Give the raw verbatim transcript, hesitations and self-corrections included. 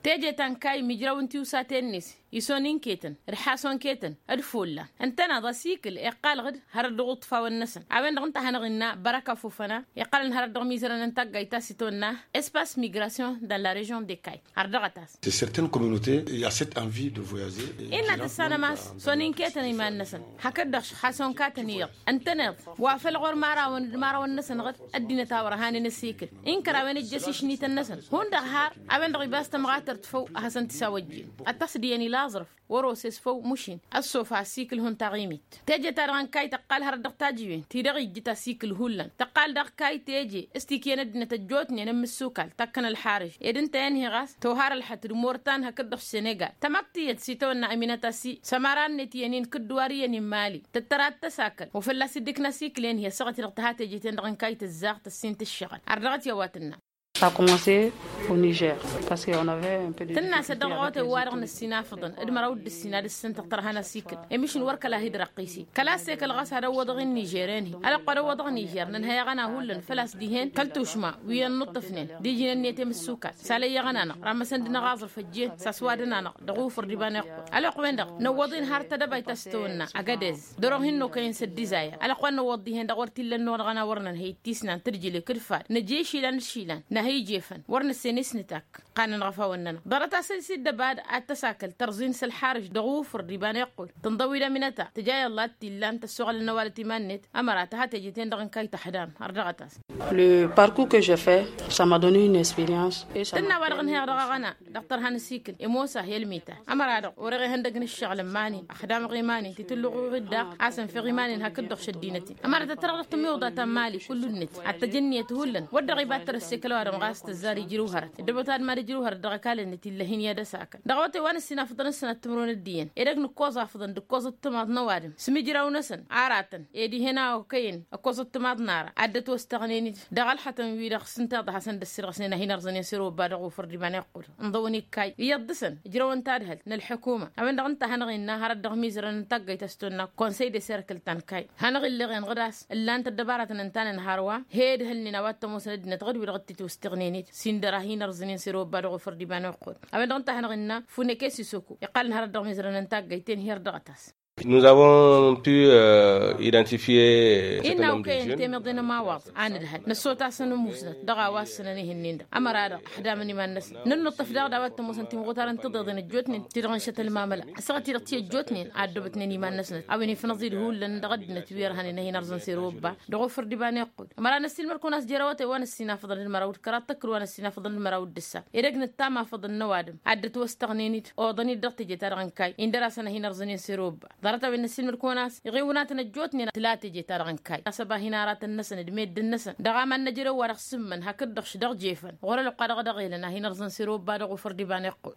Teje ta n-kayy mijrawăn tiwsaten-net, isoni n-ketăn d-haso n-ketăn d-follan. Ǝntăneḍ asikǝl iqqalăɣ-dd hărăt dăɣ-uṭṭăfawăn-năsăn a-wen-dăɣ ǝnta a hanăɣ-innă bărăka fufăna iqqălăn hărăt dăɣ-mizărăn n-taggayt ta s-itwănna espace migration dans la region de kayy. Ărdăɣăt-as. Certaines communautés i-a cette envie de voyager. Innă tǝssanăm a-s soni n-ketăn iman-năsăn hakd-dăɣ šăxasăn katăn iyyăḍ. Ǝntăneḍ wa făl ɣur-imărawăn d-imărawăn-năsăn ɣǝd ăddinăt a wăr-ăhanen ăsikǝl inkăr a-wen ǝjjăs išnităn-năsăn hundăɣ har a-wen-dăɣ ibas tămɣatărt făw a hasăn-t-isawăjjen ad-t-ăsdǝyăn ila aẓrǝf wăr-oses făw mušin. Ăssofa ăsikǝl hun taɣimit teje-ta-dăɣ n-kayy tăqqal hărăt dăɣ-tajǝwen-ti-dăɣ ijjǝt ăsikǝl hullan tăqqal daɣ kayy teje s-tikǝyăn ăddinăt ăjjootnen n-imǝssukal takkăn ălxarǝž ed ǝnta i-ănhi ɣas tohar ălxăt d-imortan hakd-dăɣ s-senegal. Tămaḍt tiyyăt s-itawănna aminăt a-s i-sămăra-net iyyăn-in kǝddu ar iyyăn-in mali tǝttăr ad-t-ăsakăl wa fălla-s dd-ikna asikǝl i-ănhi ăssaɣăt-i-dăɣ tăha teje-ten-dăɣ n-kayy tǝzzaɣ tăssin tǝššăɣăl. Ărdăɣăt i-a-wa tǝnna. Tăqqumăse unijăr. Tǝnna-săt dăɣ-dăɣ awătay wa-dăɣ năssinafăḍăn d-măraw d-ǝssin ad-ǝssǝntăɣ tărha n-asikǝl emišǝn wăr kăla hi-dd-răqqisi kăla s-ekăl ɣas ad-ăwwăḍăɣ-in nižer-enhi. Ălăqqu ad-ăwwăḍăɣ nižer nǝnhăy aɣăna hullan făl-a-s dihen kăl-tušma wi ănnuṭṭăfnen d-ijinăn-net i-imǝssukal. Salăy iɣănanăɣ rammăsăn-dăɣ n-aɣaẓrǝf ăjjeen s-a-s wa dănanăɣ dăɣ-ufǝr d-iba n-iqqul. Ălwăqq-wen-dăɣ năwwăḍ-in har tadăbayt a-s tăwănna agădez. Dăr-ohin n-okăyăn s-ăddizaya ălăqqu ad-năwwăḍ dihen-dăɣ wăr t-illa ănnuɣ dăɣ-ănawăr nănhăy d-tisnan tǝdjǝlek d-fad năje išilan d-išilan năhăy ijefăn wăr năssen isnǝtak. Qanăn ɣăfawăn-nănăɣ ḍarăt-as s-dd-ăbad ad-t-ăsakăl tărẓin s-ălxarǝž dăɣ-ufǝr d-iba n-iqqul. Tǝnḍăw-dd aminăta tǝja i-ălla ad-t-illan tăssoɣăl ănnăwalăt iman-net ămăra tăha teje-ten-dăɣ n-kayy tăxdam. Ărdăɣăt-as. Le parcours que je fais, ça m'a donné une expérience. Tǝnna wa dăɣ-nǝhăyăɣ dăɣ-aɣăna dăɣ-tărha n-asikǝl imosa i-ălmita. Ămăra-dăɣ wăr-e ihăndăg n-ǝššăɣǝl n-iman-in ăxdamăɣ iman-in titǝlluɣuɣ-dd daɣ a-s ănfeɣ iman-in hakd-dăɣ šăddinăt-in. Ămăra tăt-tărăɣ dăɣ-tămiwǝḍa ta n-imali kullu-net ad-tăj ǝnniyăt hullan wăr dăɣ-iba ad-tărăs s-ekăl ăwadǝm ɣas tǝzzar ijrǝw hărăt dd-ăbăt ad-mad-ijrǝw hărăt dăɣ-ăkall-net illăh-in i-ad-ăsakăn. Dăɣ-awătay wa n-ăssinafăḍăn-năsăn ad-tǝmrǝwăn ăddiyăn edăgg nǝkkoẓ afăḍăn d-ǝkkoẓăt timaḍ n-ăwadǝm s-imǝjraw-năsăn aratăn ed ih'-en a okăyăn ǝkkoẓăt timaḍ n-ara. Ad-dd-ătwăstăɣnen-dd dăɣ-ălxătăn-wi-dăɣ s-ǝnta iḍa hasăn-dd-ăssirɣăsnen a hin-ărẓănen s-erobba dăɣ-ufăr d-iman iqqul ǝnḍăwăn ikkay iyyăḍ dăɣ-săn ǝjrăwăn tadhălt n-ălḥukuma. A-wen-dăɣ ǝnta a hanăɣ-innă hărăt dăɣ-mizărăn n-taggayt a-s tonna konsăy de serkǝl ta n-kayy. Hanăɣ-illeɣ-en ɣǝd a-s ǝllan-t ăddăbaratăn ǝnta-năn hărwa. He-dd hălnen a-wa t-ămoosăn ăddinăt ɣǝd-wi-dăɣ t-itwăstăɣnen-dd s-indăr a hin-ărẓǝnen s-erobba dăɣ-ufăr d-iman iqqul. A-wen-dăɣ ǝnta a hanăɣ-innă funeke sisoko iqqalăn hărăt dăɣ-mizărăn n-taggayt tenher dăɣ-tas. Nous avons pu identifier. Innă okăyăn temiḍe n-ămawaḍ a nǝdhăl năssotasăn ămuusnăt dăɣ-a-wa ăssănăn ihǝnnin-dăɣ ămăra-dăɣ ăxdamăn iman-năsăn. Nănnuṭṭăf daɣ d-a-wa t-ămoosăn timɣutarăn tiḍeḍen ăjjootnen ti-dăɣ n-išăt ălmamăla ăssaɣăt-i-dăɣ ti ăjjootnen a ăddobătnen iman-năsnăt a-wen ifnăẓ-dd hullan dăɣ-ăddinăt wi ărhănen a hin-ărẓăn s-erobba. Dăɣ-ofăr d-iba n-iqqul ămăra năssiilmăd-kăwăn a-s jer-awătay wa n-ăssinafăḍăn d-măraw d-kăraḍ tăkkǝl wa n-ăssinafăḍăn d-măraw d-ǝssa edăgg nǝttamafăḍ ănnăwadǝm ad-dd-ătwăstăɣnen-dd oḍăn-dd dăɣ-teje-ta-dăɣ n-kayy. Indăr-asăn a hin-ărẓǝnen s-erobba ḍarăt-a-wen năssiilmăd-kăwăn a-s iɣiwǝnatăn ăjjootnen tǝla teje-ta-dăɣ n-kayy a-s ăba hin-aratăn-năsăn d-meddǝn-năsăn dăɣ-aman n-ejărew wa dăɣ-sǝmmăn hakd-dăɣ šdăɣ jefăn ɣur-ălwăqq a dăɣ-dăɣ-elăn a hin-ărẓăn s-erobba dăɣ-ofăr d-iba n-iqqul.